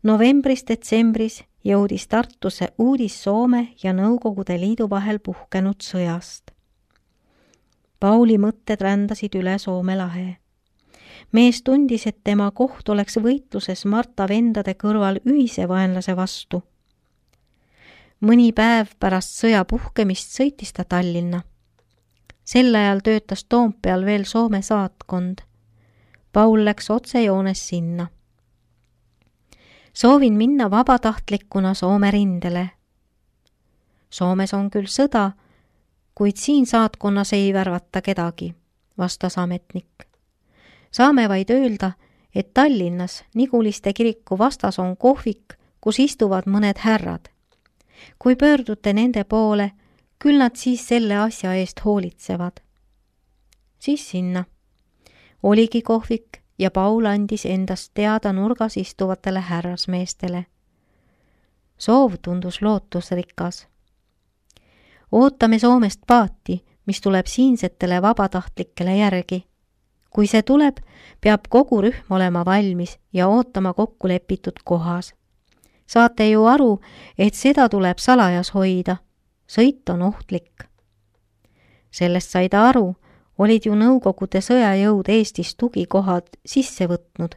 Novembris-detsembris jõudis Tartusse uudis Soome ja Nõukogude Liidu vahel puhkenud sõjast. Pauli mõtted rändasid üle Soome lahe. Mees tundis, et tema koht oleks võitluses Marta vendade kõrval ühise vaenlase vastu. Mõni päev pärast sõja puhkemist sõitis ta Tallinna. Sel ajal töötas Toompeal veel Soome saatkond. Paul läks otsejoones sinna. Soovin minna vabatahtlikuna Soome rindele. Soomes on küll sõda, kuid siin saatkonnas ei värvata kedagi, vastas ametnik. Saame vaid öelda, et Tallinnas Niguliste kiriku vastas on kohvik, kus istuvad mõned härrad. Kui pöördute nende poole, küll nad siis selle asja eest hoolitsevad. Siis sinna. Oligi kohvik ja Paul andis endast teada nurgas istuvatele härrasmeestele. Soov tundus lootusrikas. Ootame Soomest paati, mis tuleb siinsetele vabatahtlikele järgi. Kui see tuleb, peab kogu rühm olema valmis ja ootama kokku lepitud kohas. Saate ju aru, et seda tuleb salajas hoida. Sõit on ohtlik. Sellest sai ta aru, olid ju Nõukogude sõjajõud Eestis tugikohad sisse võtnud.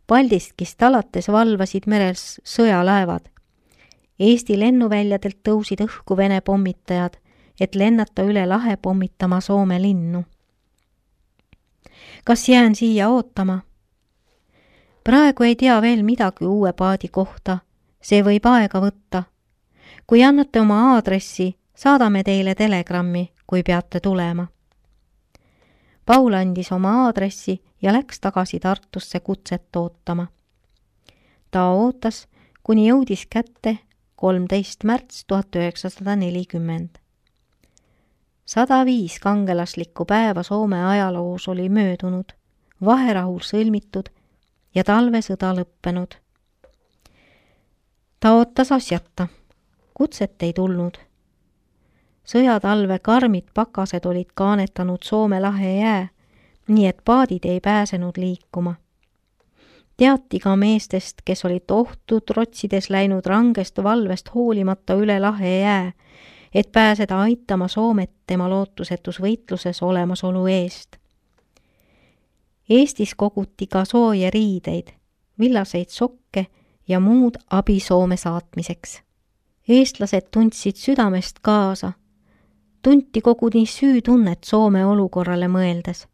Paldiskist alates valvasid meres sõjalaevad. Eesti lennuväljadelt tõusid õhku Vene pommitajad, et lennata üle lahe pommitama Soome linnu. Kas jään siia ootama? Praegu ei tea veel midagi uue paadi kohta. See võib aega võtta. Kui annate oma aadressi, saadame teile telegrammi, kui peate tulema. Paul andis oma aadressi ja läks tagasi Tartusse kutset ootama. Ta ootas, kuni jõudis kätte 13. märts 1940. 105 kangelaslikku päeva Soome ajaloos oli möödunud, vaherahul sõlmitud ja talvesõda lõppenud. Ta ootas asjata. Kutset ei tulnud. Sõjatalve karmid pakased olid kaanetanud Soome lahe jää, nii et paadid ei pääsenud liikuma. Teati ka meestest, kes olid ohtu trotsides läinud rangest valvest hoolimata üle lahe jää, et pääseda aitama Soomet tema lootusetus võitluses olemasolu eest. Eestis koguti ka sooje riideid, villaseid sokke ja muud abi Soome saatmiseks. Eestlased tundsid südamest kaasa. Tunti koguni süütunnet Soome olukorrale mõeldes.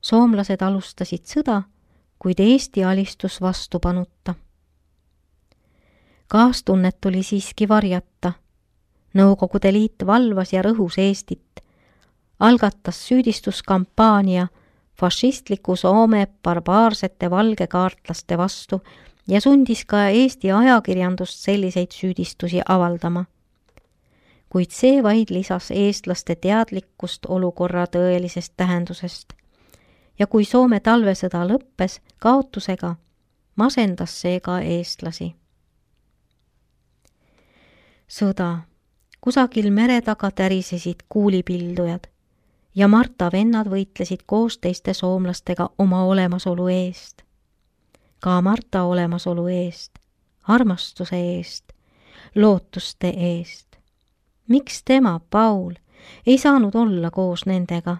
Soomlased alustasid sõda, kuid Eesti alistus vastupanuta. Kaastunnet tuli siiski varjata. Nõukogude Liit valvas ja rõhus Eestit. Algatas süüdistuskampaania fašistliku Soome barbaarsete valgekaartlaste vastu ja sundis ka Eesti ajakirjandust selliseid süüdistusi avaldama. Kuid see vaid lisas eestlaste teadlikkust olukorra tõelisest tähendusest. Ja kui Soome talvesõda lõppes kaotusega, masendas see ka eestlasi. Sõda. Kusagil mere taga tärisesid kuulipildujad ja Marta vennad võitlesid koos teiste soomlastega oma olemasolu eest. Ka Marta olemasolu eest, armastuse eest, lootuste eest. Miks tema, Paul, ei saanud olla koos nendega?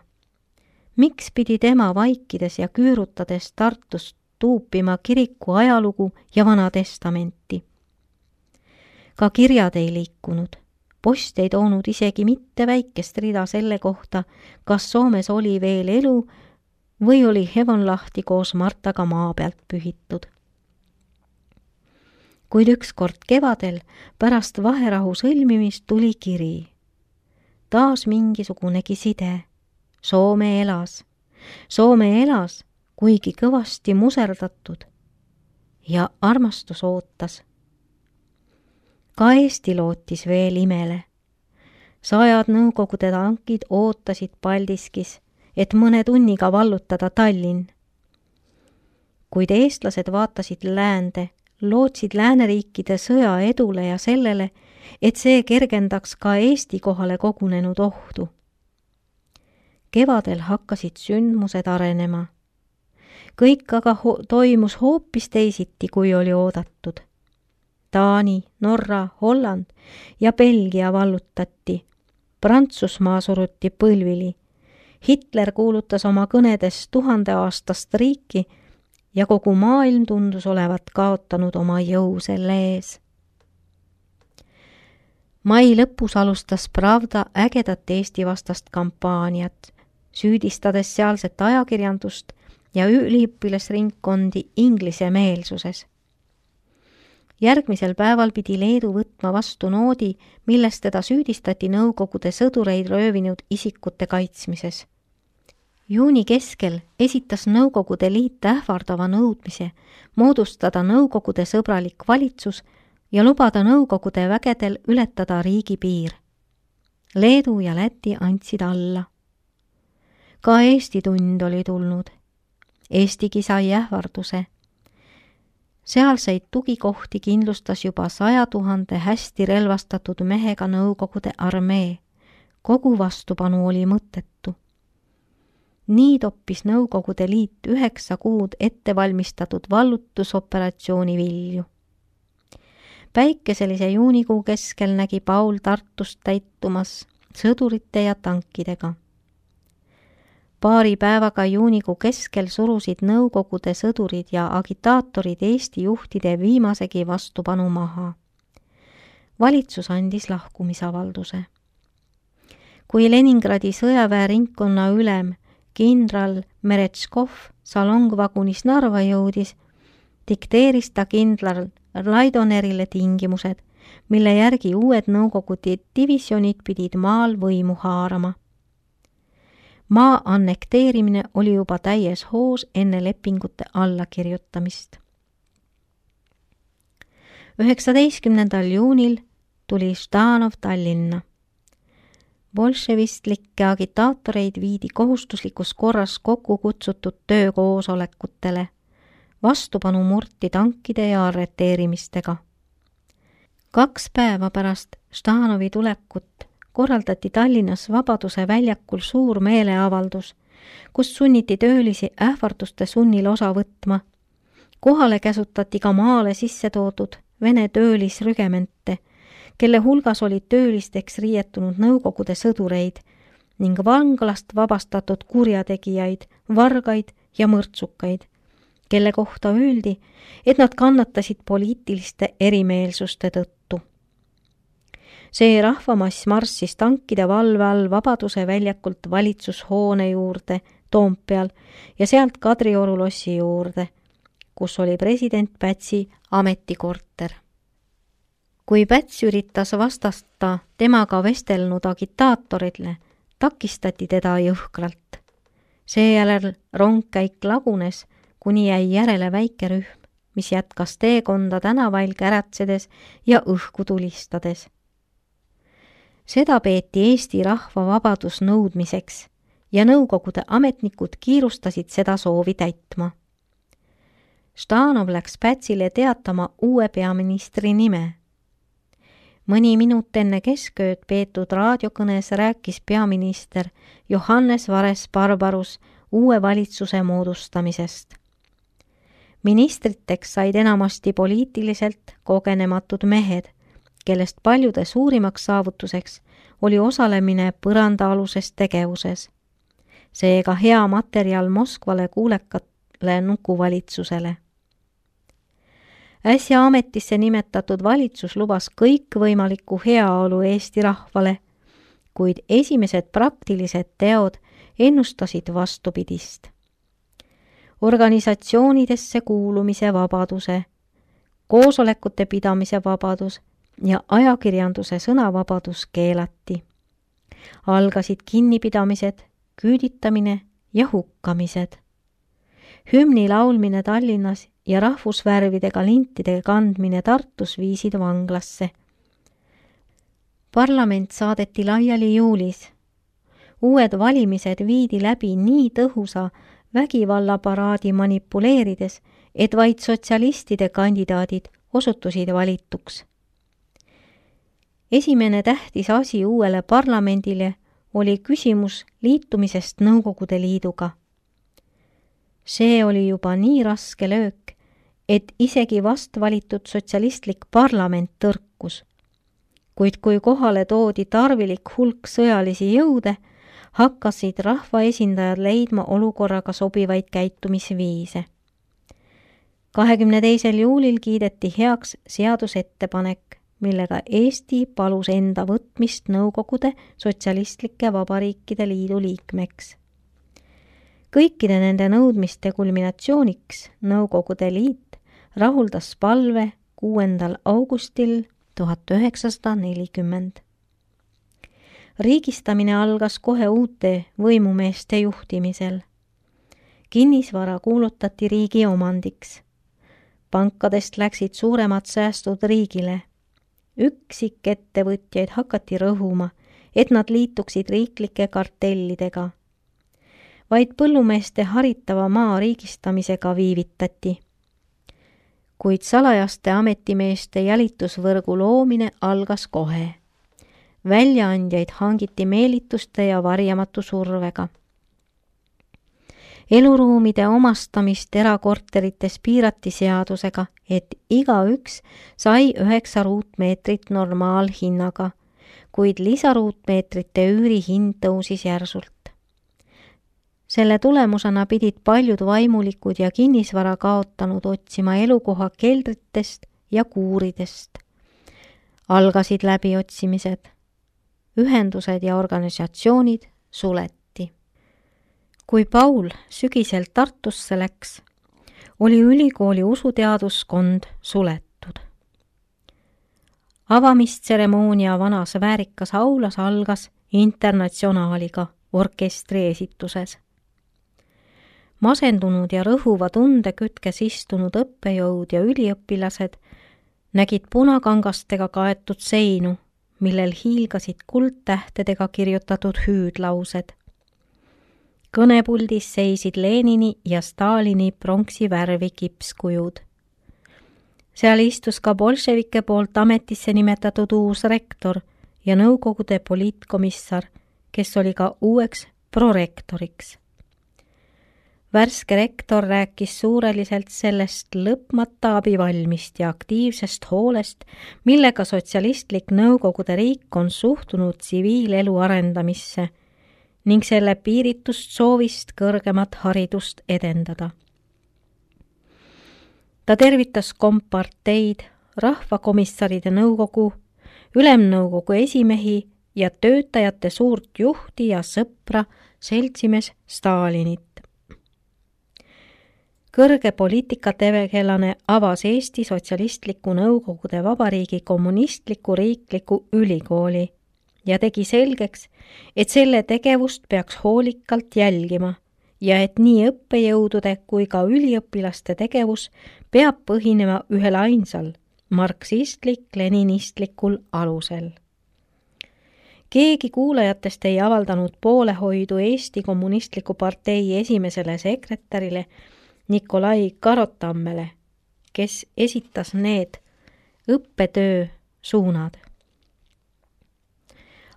Miks pidi tema vaikides ja küürutades Tartust tuupima kiriku ajalugu ja Vana Testamenti? Ka kirjad ei liikunud. Post ei toonud isegi mitte väikest rida selle kohta, kas Soomes oli veel elu või oli Hevonlahti koos Martaga maa pealt pühitud. Kuid ükskord kevadel pärast vaherahu sõlmimist tuli kiri. Taas mingisugunegi side. Soome elas. Soome elas, kuigi kõvasti muserdatud. Ja armastus ootas. Ka Eesti lootis veel imele. 100 Nõukogude tankid ootasid Paldiskis, et mõne tunniga vallutada Tallinn. Kuid eestlased vaatasid läände, lootsid lääneriikide sõja edule ja sellele, et see kergendaks ka Eesti kohale kogunenud ohtu. Kevadel hakkasid sündmused arenema. kõik aga toimus hoopis teisiti, kui oli oodatud. Taani, Norra, Holland ja Belgia vallutati. Prantsusmaa suruti põlvili. Hitler kuulutas oma kõnedes 1000-aastast riiki ja kogu maailm tundus olevat kaotanud oma jõu selle ees. Mai lõpus alustas Pravda ägedat Eesti vastast kampaaniat, süüdistades sealset ajakirjandust ja üliõpilasringkondi inglise meelsuses. Järgmisel päeval pidi Leedu võtma vastu noodi, milles teda süüdistati Nõukogude sõdureid röövinud isikute kaitsmises. Juuni keskel esitas Nõukogude Liit ähvardava nõudmise moodustada Nõukogude sõbralik valitsus ja lubada Nõukogude vägedel ületada riigipiir. Leedu ja Läti andsid alla. Ka Eesti tund oli tulnud. Eestigi sai ähvarduse. Sealseid tugikohti kindlustas juba 100 000 hästi relvastatud mehega Nõukogude armee. Kogu vastupanu oli mõttetu. Nii toppis Nõukogude Liit 9 kuud ettevalmistatud vallutusoperatsiooni vilju. Päikeselise juunikuu keskel nägi Paul Tartust täitumas sõdurite ja tankidega. Paari päevaga juunikuu keskel surusid Nõukogude sõdurid ja agitaatorid Eesti juhtide viimasegi vastupanu maha. Valitsus andis lahkumisavalduse. Kui Leningradi sõjaväeringkonna ülem kindral Meretškov salongvagunis Narva jõudis, dikteeris ta kindral Laidonerile tingimused, mille järgi uued Nõukogude divisjonid pidid maal võimu haarama. Maa annekteerimine oli juba täies hoos enne lepingute allakirjutamist. 19. juunil tuli Ždanov Tallinna. Bolševistlikke agitaatoreid viidi kohustuslikus korras kokku kutsutud töökoosolekutele. Vastupanu murti tankide ja arreteerimistega. 2 päeva pärast Ždanovi tulekut korraldati Tallinnas Vabaduse väljakul suur meeleavaldus, kus sunniti töölisi ähvarduste sunnil osa võtma. Kohale käsutati ka maale sisse toodud Vene töölisrügemente, kelle hulgas olid töölisteks riietunud Nõukogude sõdureid ning vanglast vabastatud kurjategijaid, vargaid ja mõrtsukaid, kelle kohta öeldi, et nad kannatasid poliitiliste erimeelsuste tõttu. See rahvamass marssis tankide valve all Vabaduse väljakult valitsushoone juurde Toompeal ja sealt Kadrioru lossi juurde, kus oli president Pätsi ametikorter. Kui Päts üritas vastata temaga vestelnud agitaatorile, takistati teda jõhkralt. Seejärel rongkäik lagunes, kuni jäi järele väike rühm, mis jätkas teekonda tänavail käratsedes ja õhku tulistades. Seda peeti Eesti rahva vabadusnõudmiseks ja Nõukogude ametnikud kiirustasid seda soovi täitma. Ždanov läks Pätsile teatama uue peaministri nime. Mõni minut enne keskööd peetud raadiokõnes rääkis peaminister Johannes Vares-Barbarus uue valitsuse moodustamisest. Ministriteks said enamasti poliitiliselt kogenematud mehed, kellest paljude suurimaks saavutuseks oli osalemine põrandaaluses tegevuses. Seega hea materjal Moskvale kuulekale nukuvalitsusele. Äsja ametisse nimetatud valitsus lubas kõikvõimalikku heaolu Eesti rahvale, kuid esimesed praktilised teod ennustasid vastupidist. Organisatsioonidesse kuulumise vabaduse, koosolekute pidamise vabadus ja ajakirjanduse sõnavabadus keelati. Algasid kinnipidamised, küüditamine ja hukkamised. Hümni laulmine Tallinnas ja rahvusvärvidega lintide kandmine Tartus viisid vanglasse. Parlament saadeti laiali juulis. Uued valimised viidi läbi nii tõhusa vägivallaparaadi manipuleerides, et vaid sotsialistide kandidaadid osutusid valituks. Esimene tähtis asi uuele parlamendile oli küsimus liitumisest Nõukogude Liiduga. See oli juba nii raske löök, et isegi vast valitud sotsialistlik parlament tõrkus. Kuid kui kohale toodi tarvilik hulk sõjalisi jõude, hakkasid rahvaesindajad leidma olukorraga sobivaid käitumisviise. 22. juulil kiideti heaks seadusettepanek, millega Eesti palus enda võtmist Nõukogude Sotsialistlike Vabariikide Liidu liikmeks. Kõikide nende nõudmiste kulminatsiooniks Nõukogude Liit rahuldas palve 6. augustil 1940. Riigistamine algas kohe uute võimumeeste juhtimisel. Kinnisvara kuulutati riigi omandiks. Pankadest läksid suuremad säästud riigile. Üksikettevõtjaid hakati rõhuma, et nad liituksid riiklike kartellidega. Vaid põllumeeste haritava maa riigistamisega viivitati. Kuid salajaste ametimeeste jälitusvõrgu loomine algas kohe. Väljaandjaid hangiti meelituste ja varjamatu survega. Eluruumide omastamist erakorterites piirati seadusega, et igaüks sai 9 ruutmeetrit normaalhinnaga, kuid lisaruutmeetrite üürihind tõusis järsult. Selle tulemusena pidid paljud vaimulikud ja kinnisvara kaotanud otsima elukoha keldritest ja kuuridest. Algasid läbiotsimised. Ühendused ja organisatsioonid suleti. Kui Paul sügisel Tartusse läks, oli ülikooli usuteaduskond suletud. Avamistseremoonia vanas väärikas aulas algas Internatsionaaliga orkestri esituses. Masendunud ja rõhuva tunde kütkes istunud õppejõud ja üliõpilased nägid punakangastega kaetud seinu, millel hiilgasid kuldtähtedega kirjutatud hüüdlaused. Kõnepuldis seisid Lenini ja Stalini pronksi värvi kipskujud. Seal istus ka bolševike poolt ametisse nimetatud uus rektor ja Nõukogude poliitkomissar, kes oli ka uueks prorektoriks. Värske rektor rääkis suureliselt sellest lõpmata abivalmist ja aktiivsest hoolest, millega sotsialistlik Nõukogude riik on suhtunud tsiviilelu arendamisse ning selle piiritust soovist kõrgemat haridust edendada. Ta tervitas komparteid, rahvakomissaride nõukogu, ülemnõukogu esimehi ja töötajate suurt juhti ja sõpra seltsimees Stalinit. Kõrge poliitikategelane avas Eesti Sotsialistliku Nõukogude Vabariigi kommunistliku riikliku ülikooli ja tegi selgeks, et selle tegevust peaks hoolikalt jälgima ja et nii õppejõudude kui ka üliõpilaste tegevus peab põhinema ühel ainsal marksistlik-leninistlikul alusel. Keegi kuulajatest ei avaldanud poolehoidu Eesti Kommunistliku partei esimesele sekretärile Nikolai Karotammele, kes esitas need õppetöö suunad.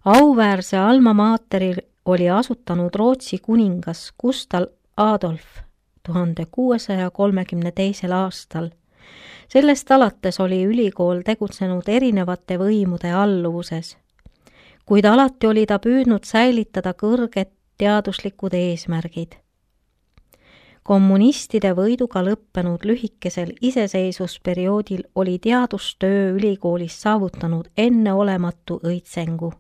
Auväärse alma materil oli asutanud Rootsi kuningas Gustav Adolf 1632. aastal. Sellest alates oli ülikool tegutsenud erinevate võimude alluvuses, kuid alati oli ta püüdnud säilitada kõrged teaduslikud eesmärgid. Kommunistide võiduga lõppenud lühikesel iseseisvusperioodil oli teadustöö ülikoolis saavutanud enneolematu õitsengu.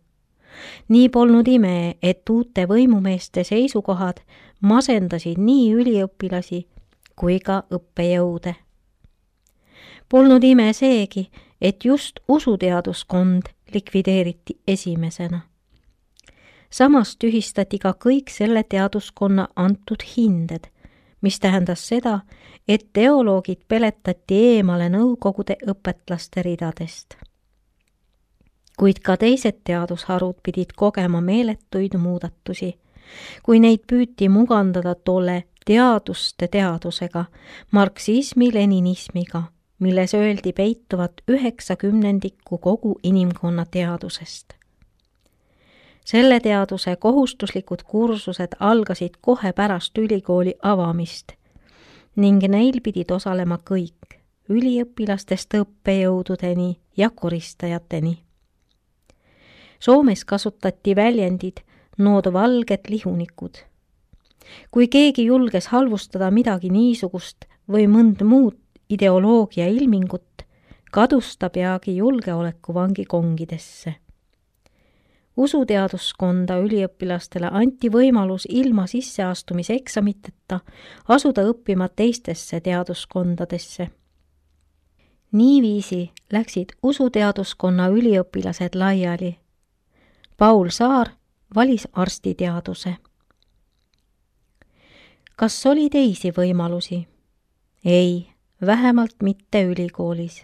Nii polnud ime, et uute võimumeeste seisukohad masendasid nii üliõpilasi kui ka õppejõude. Polnud ime seegi, et just usuteaduskond likvideeriti esimesena. Samas tühistati ka kõik selle teaduskonna antud hinded, mis tähendas seda, et teoloogid peletati eemale Nõukogude õpetlaste ridadest. Kuid ka teised teadusharud pidid kogema meeletuid muudatusi, kui neid püüti mugandada tolle teaduste teadusega, marksismi-leninismiga, milles öeldi peituvat 90% kogu inimkonna teadusest. Selle teaduse kohustuslikud kursused algasid kohe pärast ülikooli avamist ning neil pidid osalema kõik, üliõpilastest õppejõududeni ja koristajateni. Soomes kasutati väljendid nood valged lihunikud. Kui keegi julges halvustada midagi niisugust või mõnd muud ideoloogia ilmingut, kadus ta peagi julgeolekuvangi kongidesse. Usuteaduskonda üliõpilastele anti võimalus ilma sisseastumiseksamiteta asuda õppima teistesse teaduskondadesse. Niiviisi läksid usuteaduskonna üliõpilased laiali. Paul Saar valis arstiteaduse. Kas oli teisi võimalusi? Ei, vähemalt mitte ülikoolis.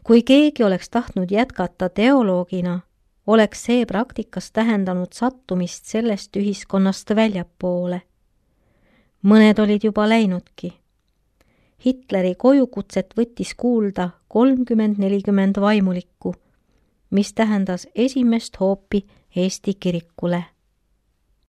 Kui keegi oleks tahtnud jätkata teoloogina, oleks see praktikas tähendanud sattumist sellest ühiskonnast väljapoole. Mõned olid juba läinudki. Hitleri kojukutset võttis kuulda 30-40 vaimulikku, mis tähendas esimest hoopi Eesti kirikule.